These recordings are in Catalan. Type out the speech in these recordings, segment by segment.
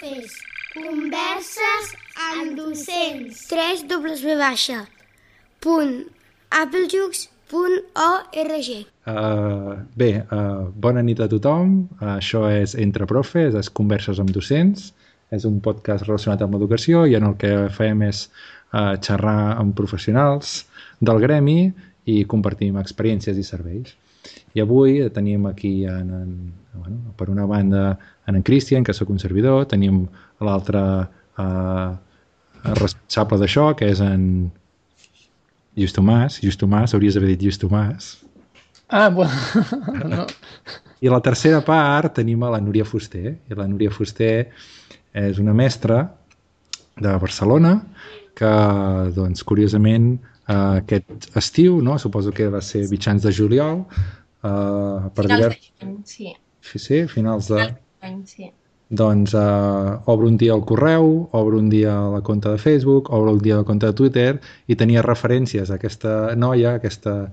profes. Converses amb docents. www.applejux.org. Bona nit a tothom. Això és Entre Profes, és Converses amb docents. És un podcast relacionat amb l'educació i en el que fem és xerrar amb professionals del gremi i compartim experiències i serveis. I avui tenim aquí, per una banda, en Cristian, que sóc un servidor, tenim l'altre responsable d'això, que és en Lluís Tomàs, hauries d'haver dit Lluís Tomàs. Bueno. No. I a la tercera part tenim a la Núria Fuster, i la Núria Fuster és una mestra de Barcelona que, doncs, curiosament, aquest estiu, no? Suposo que va ser mitjans de juliol, finals d'any, sí. Sí, finals d'any, sí. Doncs obre un dia el correu, obre un dia la compte de Facebook, obre un dia la compte de Twitter i tenia referències a aquesta noia, a aquesta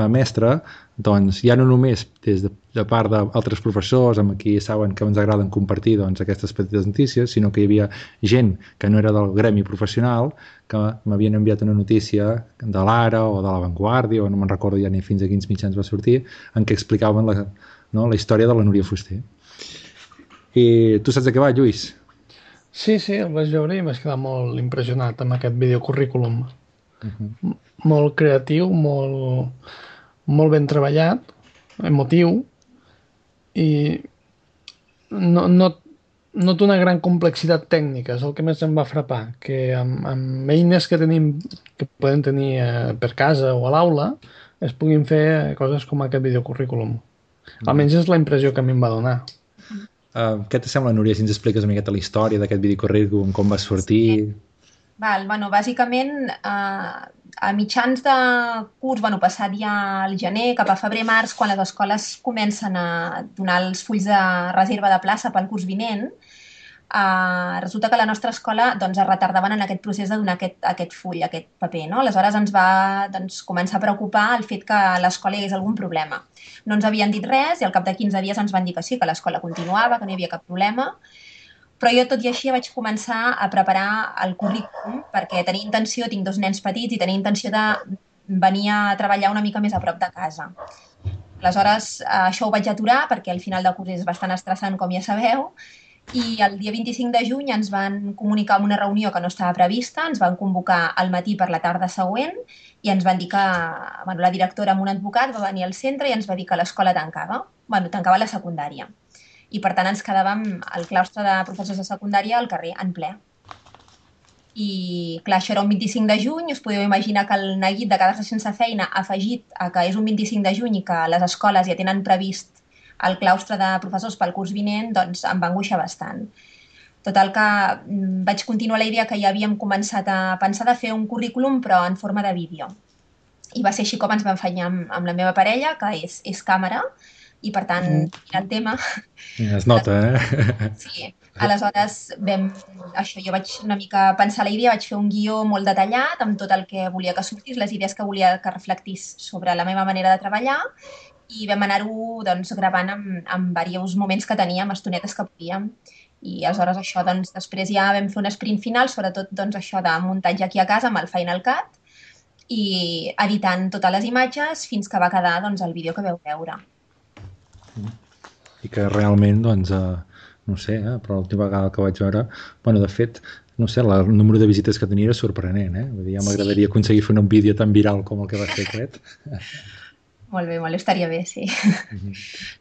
mestra, doncs ja no només des de part d'altres professors amb qui saben que ens agraden compartir doncs, aquestes petites notícies, sinó que hi havia gent que no era del gremi professional que m'havien enviat una notícia de l'Ara o de La Vanguardia, o no me'n recordo ja ni fins a quins mitjans va sortir, en què explicaven la història de la Núria Fuster. I tu saps de què va, Lluís? Sí, el vaig veure i vaig quedar molt impressionat amb aquest videocurrículum. Molt creatiu, molt ben treballat, emotiu, i no té una gran complexitat tècnica, és el que més em va frapar, que amb eines que poden tenir per casa o a l'aula es puguin fer coses com aquest videocurrículum. Almenys és la impressió que a mi em va donar. Què t'assembla, Núria, si ens expliques una miqueta la història d'aquest videocurrículum, com va sortir? Sí. Bàsicament, a mitjans de curs, passat ja al gener, cap a febrer-març, quan les escoles comencen a donar els fulls de reserva de plaça pel curs vinent, resulta que a la nostra escola es retardaven en aquest procés de donar aquest full, aquest paper, no? Aleshores ens va començar a preocupar el fet que a l'escola hi hagués algun problema. No ens havien dit res i al cap de 15 dies ens van dir que sí, que l'escola continuava, que no hi havia cap problema, però jo tot i així vaig començar a preparar el currículum perquè tenia intenció, tinc 2 nens petits i tenia intenció de venir a treballar una mica més a prop de casa. Aleshores, això ho vaig aturar perquè al final del curs és bastant estressant, com ja sabeu, i el dia 25 de juny ens van comunicar en una reunió que no estava prevista, ens van convocar al matí per la tarda següent i ens van dir que la directora amb un advocat va venir al centre i ens va dir que l'escola tancava, tancava la secundària. I per tant ens quedàvem al claustre de professors de secundària al carrer, en ple. I clar, això era un 25 de juny, us podeu imaginar que el neguit de quedar-se sense feina afegit a que és un 25 de juny i que les escoles ja tenen previst el claustre de professors pel curs vinent, doncs em va angoixar bastant. Total que vaig continuar la idea que ja havíem començat a pensar de fer un currículum però en forma de vídeo. I va ser així com ens vam fenyar amb la meva parella, que és càmera, i per tant, el tema... Es nota, Sí, aleshores jo vaig una mica pensar la idea, vaig fer un guió molt detallat amb tot el que volia que sortís, les idees que volia que reflectís sobre la meva manera de treballar, i vam anar-ho gravant en diversos moments que teníem, estonetes que podíem. I aleshores això, després ja vam fer un sprint final, sobretot això de muntatge aquí a casa amb el Final Cut i editant totes les imatges fins que va quedar el vídeo que veu veure. I que realment, no sé, però l'última vegada que vaig veure, de fet, no sé, el número de visites que tenia era sorprenent, Vull dir, ja m'agradaria aconseguir fer un vídeo tan viral com el que va fer aquest. Molt bé, estaria bé, sí.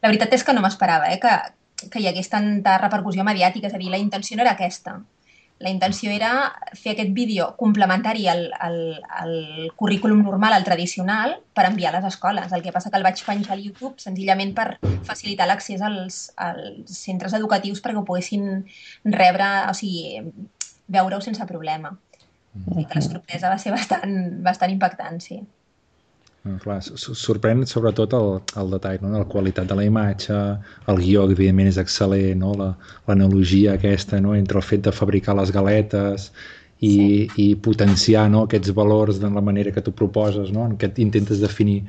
La veritat és que no m'esperava, que hi hagués tanta repercussió mediàtica, és a dir, la intenció no era aquesta. La intenció era fer aquest vídeo complementari al currículum normal, al tradicional, per enviar a les escoles. El que passa que el vaig penjar al YouTube senzillament per facilitar l'accés als centres educatius perquè ho poguessin rebre, o sigui, veure-ho sense problema. I que la sorpresa va ser bastant impactant, sí. Clar, sorprèn sobretot el detall, no? La qualitat de la imatge, el guió, que evidentment és excel·lent, no? L'analogia aquesta, no? Entre el fet de fabricar les galetes i potenciar, no? Aquests valors de la manera que tu proposes, no? En què intentes definir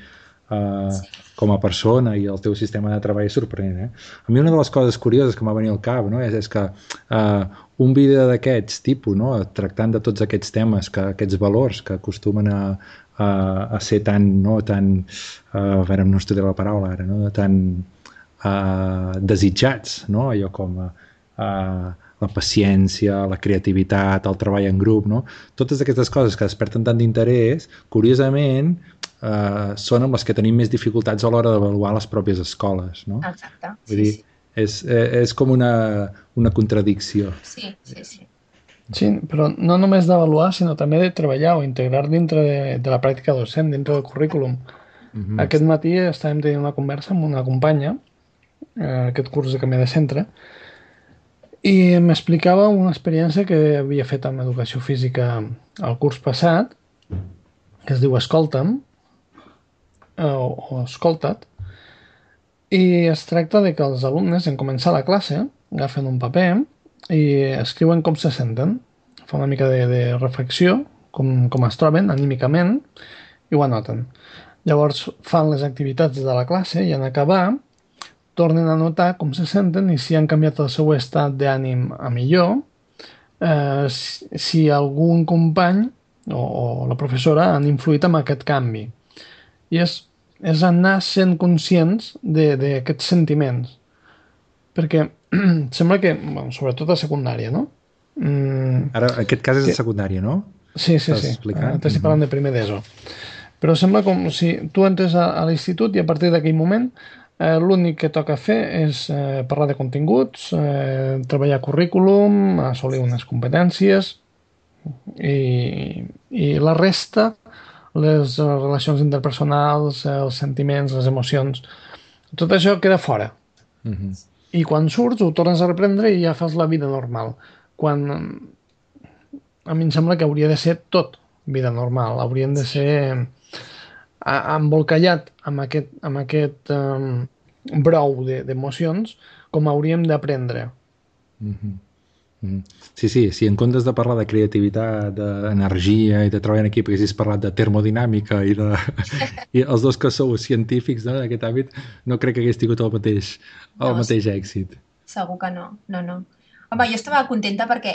com a persona i el teu sistema de treball és sorprenent. A mi una de les coses curioses que m'ha venit al cap, no, és que un vídeo d'aquests tipus, no, tractant de tots aquests temes, aquests valors que acostumen a ser tan, no, a veure, no estudiar la paraula ara, no, tan desitjats, no, allò com la paciència, la creativitat, el treball en grup, no? Totes aquestes coses que desperten tant d'interès, curiosament, són amb les que tenim més dificultats a l'hora d'avaluar les pròpies escoles, no? Exacte, Vull dir, és com una contradicció. Sí. Sí, però no només d'avaluar, sinó també de treballar o integrar dintre de la pràctica docent, dintre del currículum. Aquest matí estàvem tenint una conversa amb una companya, aquest curs de canvi de centre, i m'explicava una experiència que havia fet amb educació física el curs passat, que es diu Escolta'm, o Escolta't, i es tracta de que els alumnes, en començar la classe, agafen un paper i escriuen com se senten. Fa una mica de reflexió, com es troben anímicament, i ho anoten. Llavors fan les activitats de la classe i en acabar tornen a notar com se senten i si han canviat el seu estat d'ànim a millor, si algun company o la professora han influït en aquest canvi. I és anar sent conscients d'aquests sentiments. Perquè sembla que, bueno, sobretot a secundària, no? Ara, en aquest cas és a secundària, no? Sí. T'estic parlant de primer d'ESO. Però sembla com si tu entres a l'institut i a partir d'aquell moment l'únic que toca fer és parlar de continguts, treballar currículum, assolir unes competències i la resta, les relacions interpersonals, els sentiments, les emocions, tot això queda fora. I quan surts ho tornes a reprendre i ja fas la vida normal. Quan a mi em sembla que hauria de ser tot vida normal, haurien de ser embolcallat amb aquest brou d'emocions com hauríem d'aprendre. Sí, si en comptes de parlar de creativitat, d'energia i de treball en equip haguessis parlat de termodinàmica i els dos que sou científics, no, d'aquest àmbit, no crec que hagués tingut el mateix èxit. Segur que no. Home, jo estava contenta perquè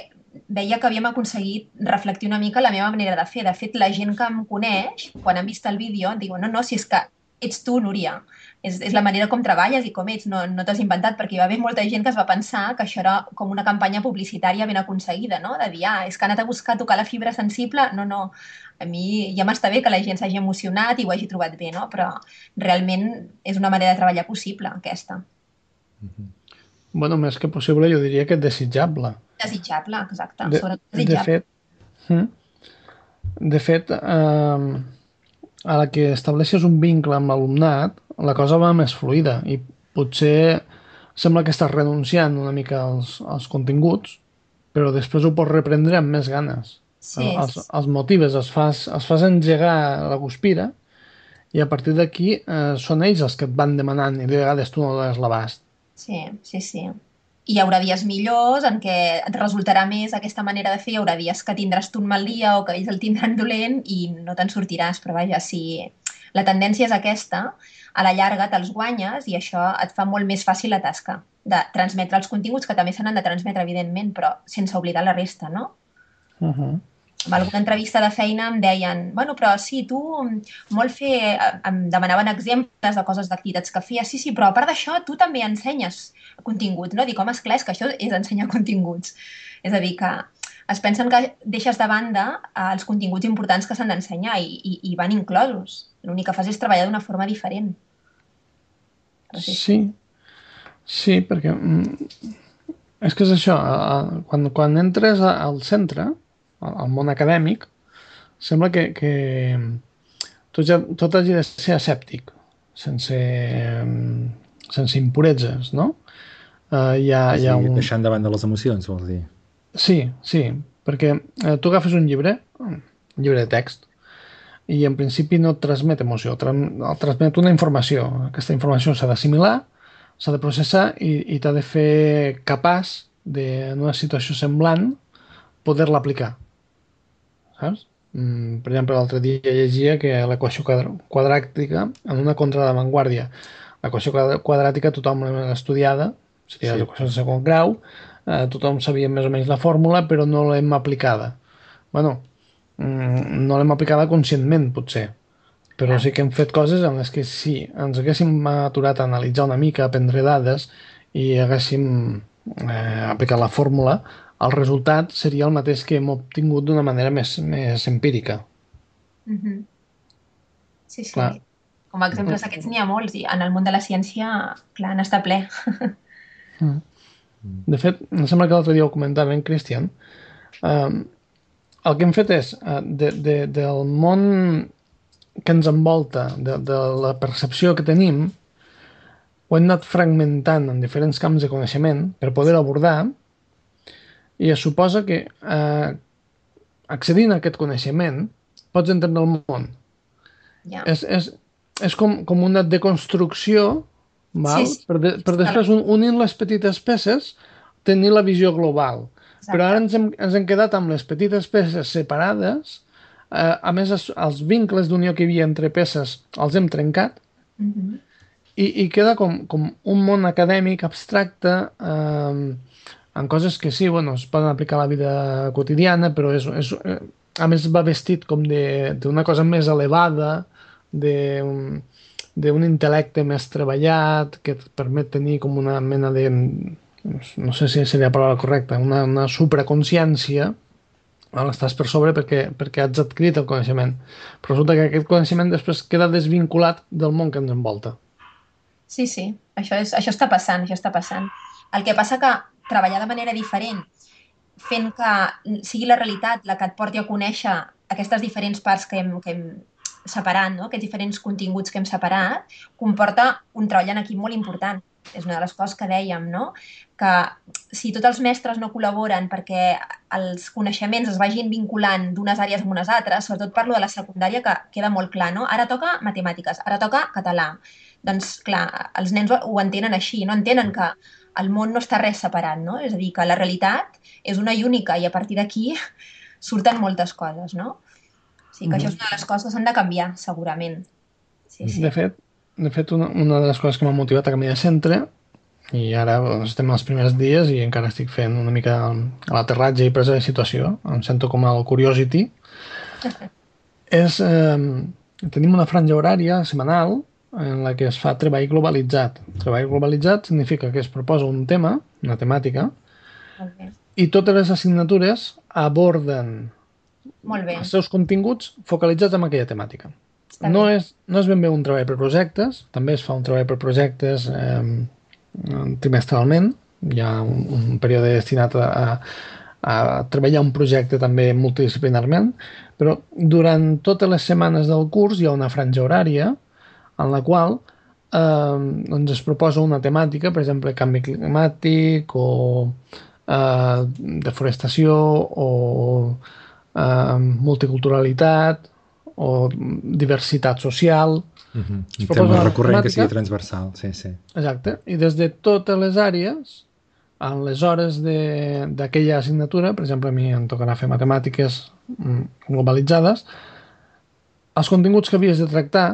veia que havíem aconseguit reflectir una mica la meva manera de fer. De fet, la gent que em coneix, quan han vist el vídeo, em diuen no, si és que ets tu, Núria. És la manera com treballes i com ets, no t'has inventat, perquè hi va haver molta gent que es va pensar que això era com una campanya publicitària ben aconseguida, no? De dir, és que ha anat a buscar tocar la fibra sensible. No, a mi ja m'està bé que la gent s'hagi emocionat i ho hagi trobat bé, no? Però realment és una manera de treballar possible, aquesta. Bueno, més que possible, jo diria que desitjable. Desitjable, exacte. Desitjable. De fet, a la que estableixes un vincle amb l'alumnat, la cosa va més fluida i potser sembla que estàs renunciant una mica als continguts, però després ho pots reprendre amb més ganes. Sí. Els motives, els fas engegar la guspira i a partir d'aquí són ells els que et van demanant i de vegades tu no dones l'abast. Sí. I hi haurà dies millors en què et resultarà més aquesta manera de fer, hi haurà dies que tindràs tu un mal dia o que ells el tindran dolent i no te'n sortiràs, però vaja, si la tendència és aquesta, a la llarga te'ls guanyes i això et fa molt més fàcil la tasca de transmetre els continguts, que també se n'han de transmetre, evidentment, però sense oblidar la resta, no? En alguna entrevista de feina em deien, bueno, però sí, tu em demanaven exemples de coses d'activitats que feies, sí, però a part d'això tu també ensenyes continguts, no? Dic, home, esclar, és que això és ensenyar continguts. És a dir, que es pensen que deixes de banda els continguts importants que s'han d'ensenyar i van inclosos. L'únic que fas és treballar d'una forma diferent. Sí, perquè és que és això, quan entres al centre, al món acadèmic, sembla que tot hagi de ser escèptic, sense impureses, no? Deixant davant de les emocions, vols dir? Sí, perquè tu agafes un llibre de text, i en principi no et transmet emoció, et transmet una informació. Aquesta informació s'ha d'assimilar, s'ha de processar i t'ha de fer capaç en una situació semblant poder-la aplicar. Saps? Per exemple, l'altre dia llegia que l'equació quadràtica en una contraavantguàrdia. L'equació quadràtica tothom l'ha estudiada, seria Sí. les equacions de segon grau, tothom sabia més o menys la fórmula, però no l'hem aplicada. Bueno, no l'hem aplicada conscientment, potser, però Clar. sí que hem fet coses en les que si ens haguéssim aturat a analitzar una mica, a prendre dades i haguéssim aplicat la fórmula, el resultat seria el mateix que hem obtingut d'una manera més empírica. Mhm. Sí, sí. Clar. Com a exemples d'aquests n'hi ha molts i en el món de la ciència, clar, n'està ple. De fet, em sembla que l'altre dia ho comentava en Christian, eh, el que hem fet és, del món que ens envolta, de la percepció que tenim, ho hem anat fragmentant en diferents camps de coneixement per poder abordar, i es suposa que accedint a aquest coneixement pots entendre el món. Ja. És com una deconstrucció, val? Sí, sí. Per després, unint les petites peces, tenir la visió global. Exacte. Però ara ens hem quedat amb les petites peces separades, a més els vincles d'unió que hi havia entre peces els hem trencat, Mhm. i queda com un món acadèmic abstracte, en coses que sí, bueno, es poden aplicar a la vida quotidiana, però a més va vestit com d'una cosa més elevada, d'un intel·lecte més treballat, que et permet tenir com una mena de, no sé si seria la paraula correcta, una supraconsciència. Estàs per sobre perquè has adquirit el coneixement. Però resulta que aquest coneixement després queda desvinculat del món que ens envolta. Sí, sí, això està passant, això està passant. El que passa que treballar de manera diferent, fent que sigui la realitat la que et porti a conèixer aquestes diferents parts que hem separat, no? Aquests diferents continguts que hem separat, comporta un treball en equip molt important. És una de les coses que dèiem, no? Que si tots els mestres no col·laboren perquè els coneixements es vagin vinculant d'unes àrees amb unes altres, sobretot parlo de la secundària, que queda molt clar, no? Ara toca matemàtiques, ara toca català. Doncs, clar, els nens ho entenen així, no entenen que el món no està res separat, no? És a dir, que la realitat és una i única i a partir d'aquí surten moltes coses, no? O sigui que això és una de les coses que s'han de canviar, segurament. Sí, sí. De fet, una de les coses que m'ha motivat a canviar de centre, i ara estem als primers dies i encara estic fent una mica l'aterratge i presa de situació, em sento com el Curiosity, és tenim una franja horària setmanal en la que es fa treball globalitzat. Treball globalitzat significa que es proposa un tema, una temàtica, Molt bé. i totes les assignatures aborden Molt bé. els seus continguts focalitzats en aquella temàtica. Està No bé. és ben bé un treball per projectes, també es fa un treball per projectes trimestralment, hi ha un període destinat a treballar un projecte també multidisciplinarment, però durant totes les setmanes del curs hi ha una franja horària en la qual doncs es proposa una temàtica, per exemple, canvi climàtic o deforestació o multiculturalitat o diversitat social. Un proposa tema una recurrent que temàtica. sigui transversal, sí, sí. Exacte. I des de totes les àrees, en les hores d'aquella assignatura, per exemple, a mi em tocarà fer matemàtiques globalitzades, els continguts que havies de tractar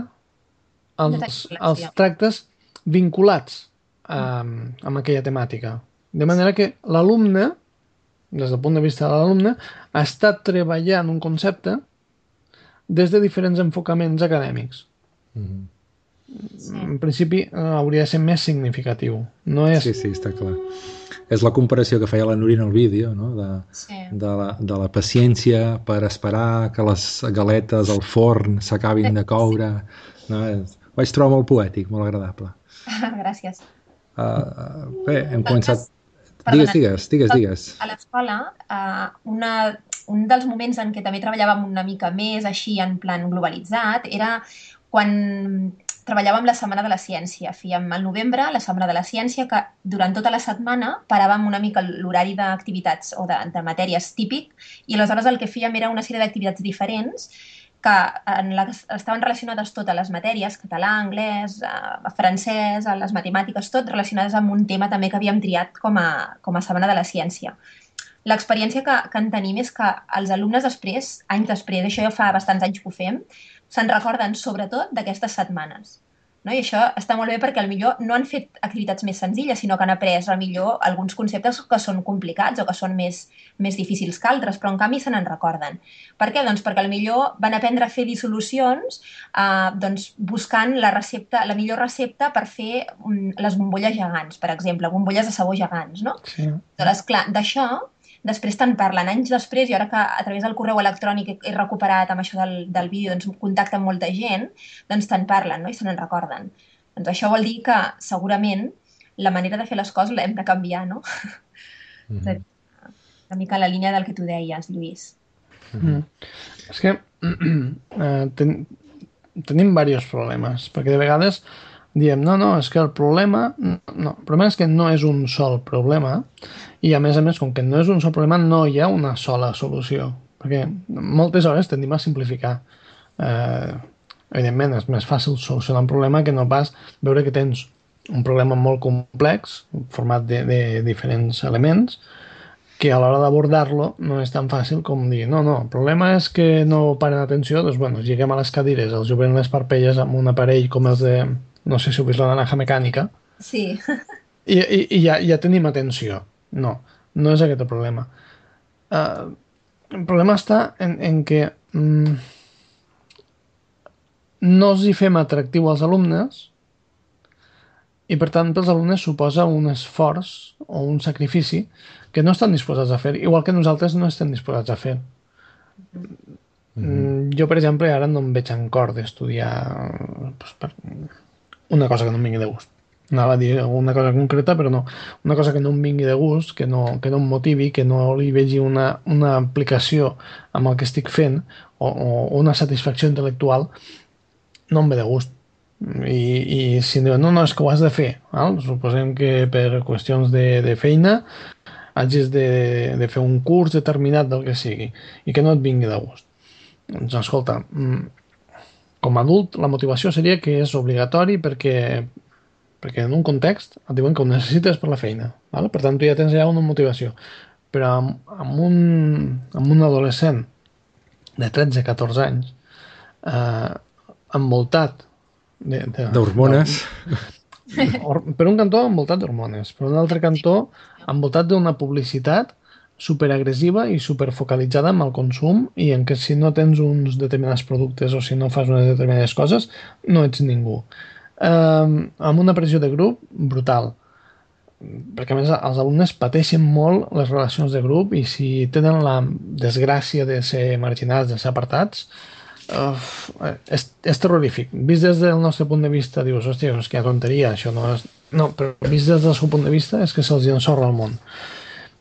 els tractes vinculats amb aquella temàtica. De manera que l'alumne, des del punt de vista de l'alumne, ha estat treballant un concepte des de diferents enfocaments acadèmics. En principi hauria de ser més significatiu. No és... Sí, està clar. És la comparació que feia la Núria en el vídeo, no? Sí. de la paciència per esperar que les galetes al forn s'acabin de coure. No? Ho vaig trobar molt poètic, molt agradable. Gràcies. Bé, hem començat... Perdona. Digues. A l'escola, un dels moments en què també treballàvem una mica més així en plan globalitzat era quan treballàvem la Setmana de la Ciència. Fèiem al novembre la Setmana de la Ciència, que durant tota la setmana paràvem una mica l'horari d'activitats o de matèries típic, i aleshores el que fèiem era una sèrie d'activitats diferents que estaven relacionades totes les matèries, català, anglès, francès, les matemàtiques, tot relacionades amb un tema també que havíem triat com a Setmana de la Ciència. l'experiència que en tenim és que els alumnes després, anys després, això ja fa bastants anys que ho fem, se'n recorden sobretot d'aquestes setmanes. No? I això està molt bé perquè millor no han fet activitats més senzilles, sinó que han après millor alguns conceptes que són complicats o que són més difícils que altres, però en canvi se n'en recorden. Per què? Doncs perquè millor van aprendre a fer dissolucions doncs buscant la millor recepta per fer les bombolles gegants, per exemple, bombolles de sabó gegants, no? Sí. Doncs, clar, d'això després te'n parlen anys després, i ara que a través del correu electrònic he recuperat amb això del vídeo, doncs contacte amb molta gent, doncs te'n parlen, no? I se n'en recorden. Doncs això vol dir que segurament la manera de fer les coses l'hem de canviar, no? Una mica la línia del que tu deies, Lluís. És que tenim diversos problemes, perquè de vegades diem, no, és que el problema és que no és un sol problema, i a més, com que no és un sol problema, no hi ha una sola solució, perquè moltes hores tendim a simplificar. Evidentment, és més fàcil solucionar un problema que no pas veure que tens un problema molt complex, format de diferents elements, que a l'hora d'abordar-lo no és tan fàcil com dir, no, el problema és que no paren atenció, doncs bueno, lliguem a les cadires, els juguem les parpelles amb un aparell com els de, no sé si heu vist la naranja mecànica, sí. i ja tenim atenció. No és aquest el problema. El problema està en que no els hi fem atractiu als alumnes, i per tant pels alumnes suposa un esforç o un sacrifici que no estan disposats a fer, igual que nosaltres no estem disposats a fer. Jo, per exemple, ara no em veig en cor d'estudiar una cosa que no em vingui de gust. Anava a dir una cosa concreta, però no. Una cosa que no em vingui de gust, que no em motivi, que no li vegi una aplicació amb el que estic fent o una satisfacció intel·lectual, no em ve de gust. I si em diuen, no, és que ho has de fer. Suposem que per qüestions de feina hagis de fer un curs determinat del que sigui i que no et vingui de gust. Doncs escolta, com a adult la motivació seria que és obligatori perquè en un context et diuen que ho necessites per la feina. Per tant, tu ja tens allà una motivació. Però amb un adolescent de 13-14 anys envoltat d'hormones. Per un cantó envoltat d'hormones, per un altre cantó envoltat d'una publicitat superagressiva i superfocalitzada amb el consum, i en què si no tens uns determinats productes o si no fas unes determinades coses no ets ningú. Amb una pressió de grup brutal, perquè a més els alumnes pateixen molt les relacions de grup, i si tenen la desgràcia de ser marginats, de ser apartats, és terrorífic. Vist des del nostre punt de vista dius, hòstia, és que hi ha tonteria, això no és... No, però vist des del seu punt de vista és que se'ls ensorra el món.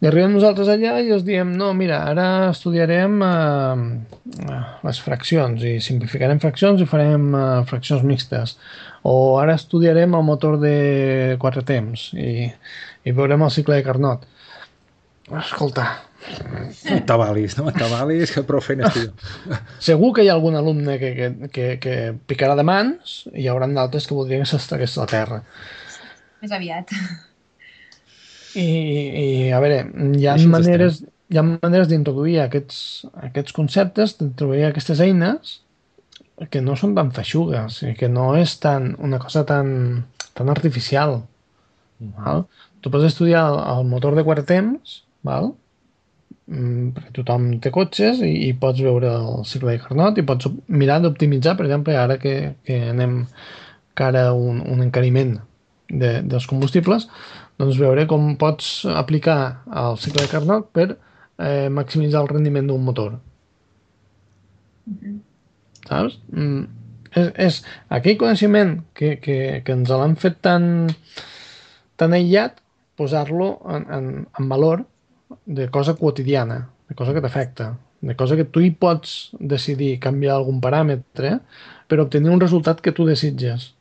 I arribem nosaltres allà i els diem, no, mira, ara estudiarem les fraccions i simplificarem fraccions i farem fraccions mixtes, o ara estudiarem el motor de 4 temps i veurem el cicle de Carnot. Escolta, no t'avalis, que prou feina estic. Segur que hi ha algun alumne que picarà de mans, i hi haurà d'altres que voldrien que s'estagués a la terra. Més aviat. I a veure, hi ha maneres d'introduir aquests conceptes, d'introduir aquestes eines que no són tan feixugues i que no és una cosa tan artificial. Tu pots estudiar el motor de 4 temps, perquè tothom té cotxes, i pots veure el cicle de Carnot i pots mirar d'optimitzar, per exemple, ara que anem cara a un encariment dels combustibles, doncs veure com pots aplicar el cicle de Carnot per maximitzar el rendiment d'un motor. Saps? És aquell coneixement que ens l'han fet tan aïllat, posar-lo en valor de cosa quotidiana, de cosa que t'afecta, de cosa que tu hi pots decidir canviar algun paràmetre per obtenir un resultat que tu desitges.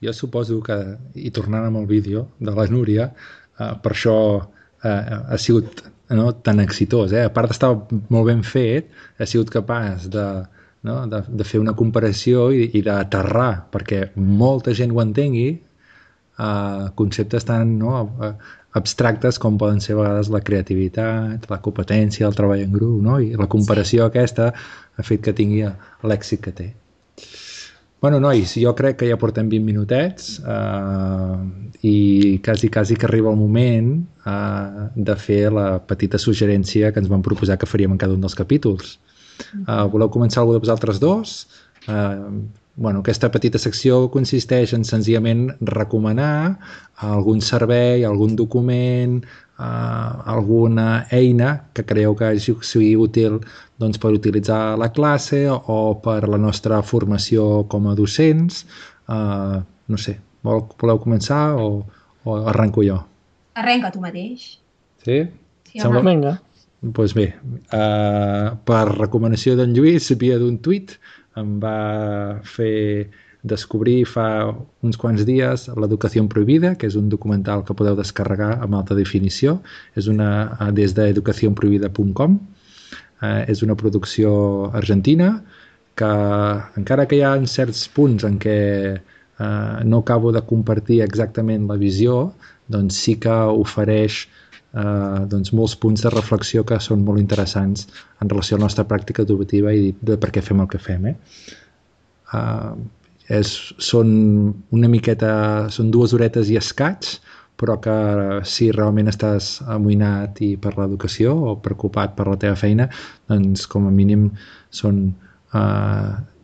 Jo suposo que, i tornant amb el vídeo de la Núria, per això ha sigut tan exitós. A part d'estar molt ben fet, ha sigut capaç de fer una comparació i d'aterrar, perquè molta gent ho entengui, conceptes tan abstractes com poden ser a vegades la creativitat, la competència, el treball en grup, no? I la comparació aquesta ha fet que tingui l'èxit que té. Bueno, nois, jo crec que ja portem 20 minutets i quasi que arriba el moment de fer la petita suggerència que ens vam proposar que faríem en cada un dels capítols. Voleu començar algú de vosaltres dos? Aquesta petita secció consisteix en senzillament recomanar algun servei, algun document, alguna eina que creieu que sigui útil per utilitzar a la classe o per la nostra formació com a docents. No sé, voleu començar o arrenco jo? Arrenca tu mateix. Sí? Sí, home. Vinga. Doncs bé, per recomanació d'en Lluís, via d'un tuit, em va fer descobrir fa uns quants dies l'Educació Prohibida, que és un documental que podeu descarregar amb alta definició. És des d'educacionprohibida.com. És una producció argentina que, encara que hi ha certs punts en què no acabo de compartir exactament la visió, doncs sí que ofereix molts punts de reflexió que són molt interessants en relació a la nostra pràctica educativa i de per què fem el que fem. Són una miqueta, són 2 horetes i escaig, però que si realment estàs amoïnat i per l'educació o preocupat per la teva feina, doncs com a mínim són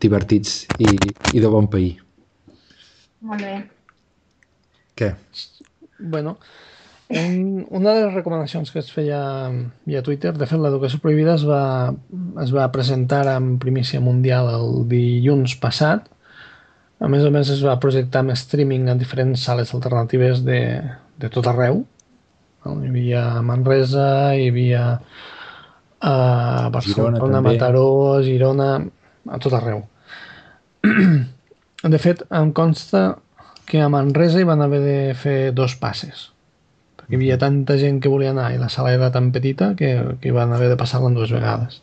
divertits i de bon pair. Molt bé. Què? Bueno, una de les recomanacions que es feia via Twitter, de fet l'Educació Prohibida es va presentar en primícia mundial el dilluns passat. A més es va projectar amb streaming en diferents sales alternatives de tot arreu. Hi havia a Manresa, hi havia a Barcelona, Mataró, Girona, a tot arreu. De fet, em consta que a Manresa hi van haver de fer 2 passes, perquè hi havia tanta gent que volia anar i la sala era tan petita que hi van haver de passar-la en 2 vegades.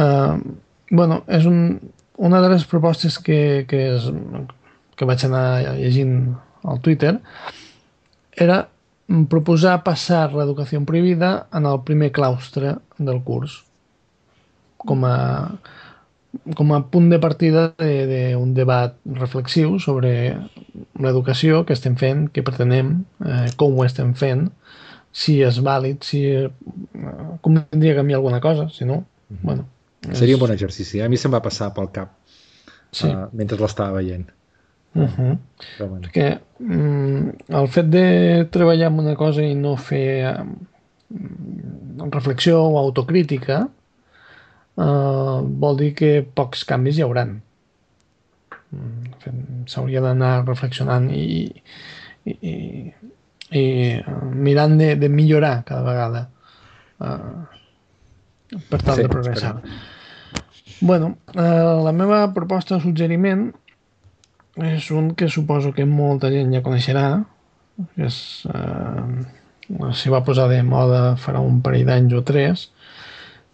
És una de les propostes que vaig anar llegint al Twitter era proposar passar l'Educació Prohibida en el primer claustre del curs, com a punt de partida d'un debat reflexiu sobre l'educació que estem fent, què pretenem, com ho estem fent, si és vàlid, si convindria canviar alguna cosa, si no, bueno... Seria un bon exercici. A mi se'm va passar pel cap mentre l'estava veient. Perquè el fet de treballar en una cosa i no fer reflexió o autocrítica vol dir que pocs canvis hi hauran. S'hauria d'anar reflexionant i mirant de millorar cada vegada per tal de progressar. Bueno, la meva proposta de suggeriment és un que suposo que molta gent ja coneixerà, que s'hi va posar de moda farà un parell d'anys o 3,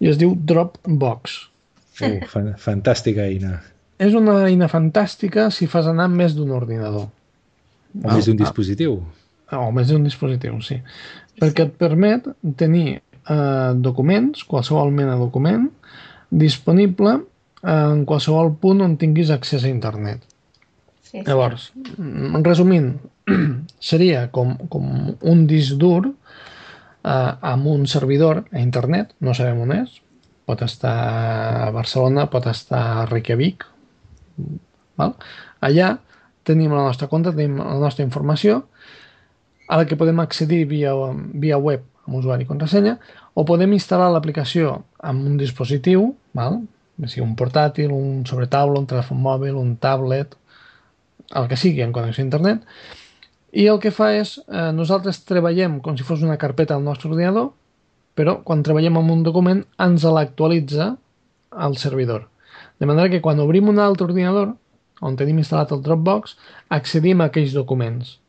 i es diu Dropbox. Fantàstica eina. És una eina fantàstica si fas anar més d'un ordinador. O més d'un dispositiu. O més d'un dispositiu, sí. Perquè et permet tenir documents, qualsevol mena de document, disponible en qualsevol punt on tinguis accés a internet. Sí. Llavors, resumint, seria com un disc dur amb un servidor a internet, no sabem on és, pot estar a Barcelona, pot estar a Reykjavik. Allà tenim la nostra compte, tenim la nostra informació, a la que podem accedir via web amb usuari i contrasenya, o podem instal·lar l'aplicació en un dispositiu, sigui un portàtil, un sobretaula, un telèfon mòbil, un tablet, el que sigui en connexió a internet, i el que fa és, nosaltres treballem com si fos una carpeta al nostre ordinador, però quan treballem amb un document ens l'actualitza al servidor. De manera que quan obrim un altre ordinador, on tenim instal·lat el Dropbox, accedim a aquells documents.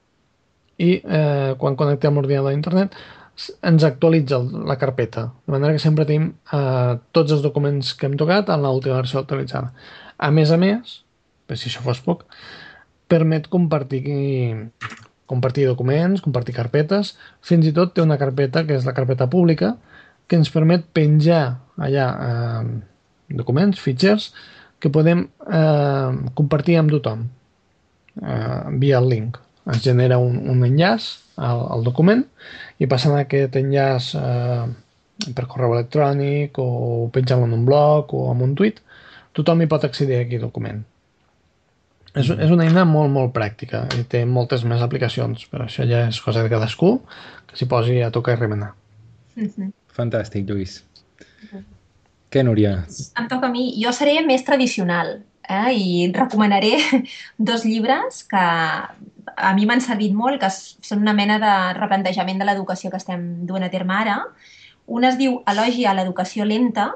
I quan connectem l'ordinador a internet, ens actualitza la carpeta, de manera que sempre tenim tots els documents que hem tocat en l'última versió actualitzada. A més, per si això fos poc, permet compartir compartir documents, compartir carpetes, fins i tot té una carpeta que és la carpeta pública que ens permet penjar allà documents, fitxers, que podem compartir amb tothom via el link. Es genera un enllaç al document i passant aquest enllaç per correu electrònic o penjant-lo en un blog o en un tuit, tothom hi pot accedir a aquest document. És una eina molt, molt pràctica i té moltes més aplicacions, però això ja és cosa de cadascú que s'hi posi a tocar i remenar. Fantàstic, Lluís. Què, Núria? Em toca a mi. Jo seré més tradicional i recomanaré 2 llibres que a mi m'han servit molt, que són una mena de replantejament de l'educació que estem duent a terme ara. Un es diu Elogi a l'educació lenta,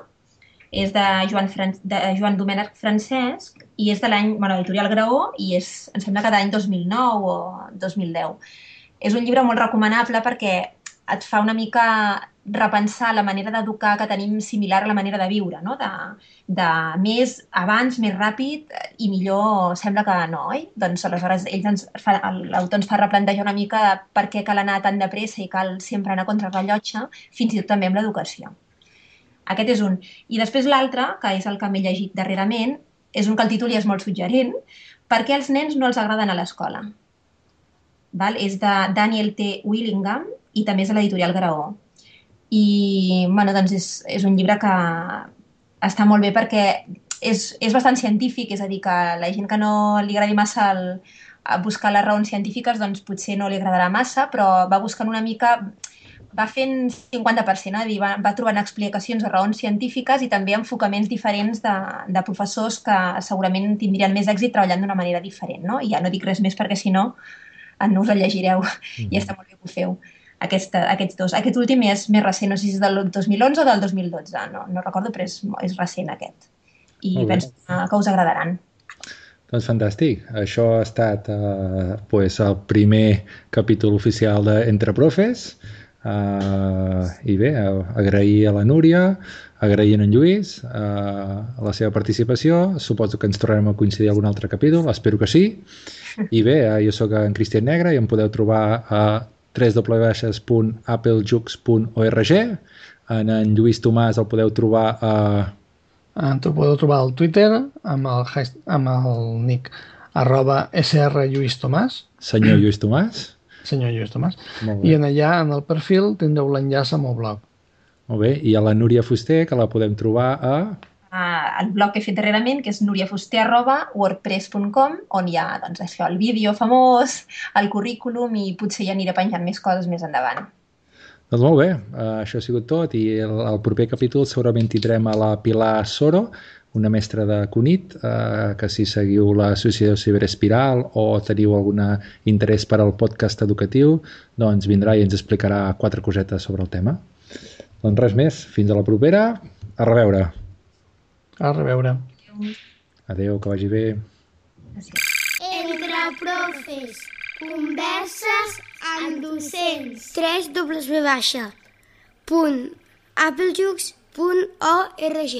és de Joan Domènech Francesc i és de l'editorial Graó i em sembla que de l'any 2009 o 2010. És un llibre molt recomanable perquè et fa una mica repensar la manera d'educar que tenim similar a la manera de viure, no? De més abans, més ràpid i millor sembla que no, oi? Doncs aleshores l'autor ens fa replantejar una mica per què cal anar tan de pressa i cal sempre anar contra rellotge, fins i tot també amb l'educació. Aquest és un. I després l'altre, que és el que m'he llegit darrerament, és un que el títol ja és molt suggerent, per què els nens no els agraden a l'escola. És de Daniel T. Willingham i també és de l'editorial Graó. I doncs és un llibre que està molt bé perquè és bastant científic, és a dir, que la gent que no li agradi massa buscar les raons científiques doncs potser no li agradarà massa, però va buscant una mica... Va fent 50%, va trobant explicacions de raons científiques i també enfocaments diferents de professors que segurament tindrien més èxit treballant d'una manera diferent, no? I ja no dic res més perquè si no no us el llegireu i està molt bé que ho feu. Aquests 2. Aquest últim és més recent, no sé si és del 2011 o del 2012, no recordo, però és recent aquest. I penso que us agradaran. Doncs fantàstic. Això ha estat el primer capítol oficial d'Entre Profes. I bé, agrair a la Núria, agrair a en Lluís la seva participació. Suposo que ens tornarem a coincidir a algun altre capítol, espero que sí. I bé, jo sóc en Cristian Negre i em podeu trobar a www.applejux.org. En Lluís Tomàs el podeu trobar a... T'ho podeu trobar al Twitter amb el nick @srlluistomàs. Senyor Lluís Tomàs. Senyor Lluís Tomàs. I allà, en el perfil, tindreu l'enllaç al meu blog. Molt bé. I a la Núria Fuster, que la podem trobar a... El blog que he fet darrerament, que és nuriafuster@wordpress.com, on hi ha el vídeo famós, el currículum i potser ja aniré penjant més coses més endavant. Doncs molt bé. Això ha sigut tot i el proper capítol segurament tindrem a la Pilar Soro, una mestra de CUNIT, que si seguiu l'associació Ciberespiral o teniu algun interès per al podcast educatiu, doncs vindrà i ens explicarà 4 cosetes sobre el tema. Doncs res més, fins a la propera. A reveure. A reveure. Adéu, que vagi bé. Entre Profes, converses amb docents. www.applejux.org